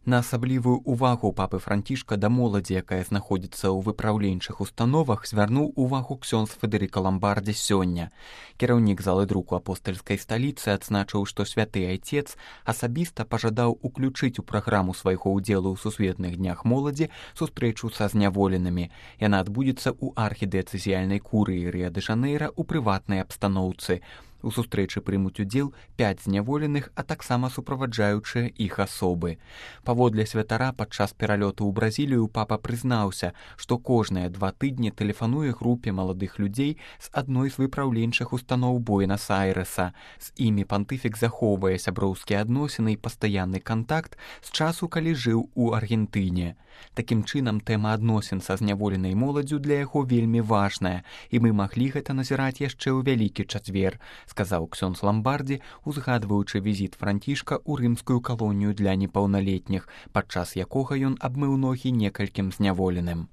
На асаблівую ўвагу папы Францішка да моладзі, якая знаходзіцца ў выпраўленчых установах, звярнуў увагу ксёндз Федэрыка Ламбардзі сёння. Кіраўнік залы друку апостальскай сталіцы адзначыў, што святы айцец асабіста пажадаў уключыць у праграму свайго ўдзелу ў сусветных днях моладзі сустрэчу са зняволенымі. Яна адбудзецца ў архідыяцэзіяльнай курыі Рыа-дэ-Жанэйра ў прыватнай абстаноўцы. У сустрэчы прымуць удзел 5 зняволеных, а таксама суправаджаючыя іх асобы. Паводле святара, падчас пералёту ў Бразілію папа прызнаўся, што кожныя 2 тыдні тэлефануе групе маладых людзей з адной з выпраўленчых устаноў Буэнас-Айрэса. З імі пантыфік захоўвае сяброўскія адносіны і пастаянны кантакт з часу, калі жыў у Аргентыне. Такім чынам, тэма адносін са зняволенай моладдзю для яго вельмі важная, і мы маглі гэта назіраць яшчэ ў Вялікі чацвер, сказаў ксёндз Ламбардзі, узгадваючы візіт Францішка ў рымскую калонію для непаўналетніх, падчас якога ён абмыў ногі некалькім зняволеным.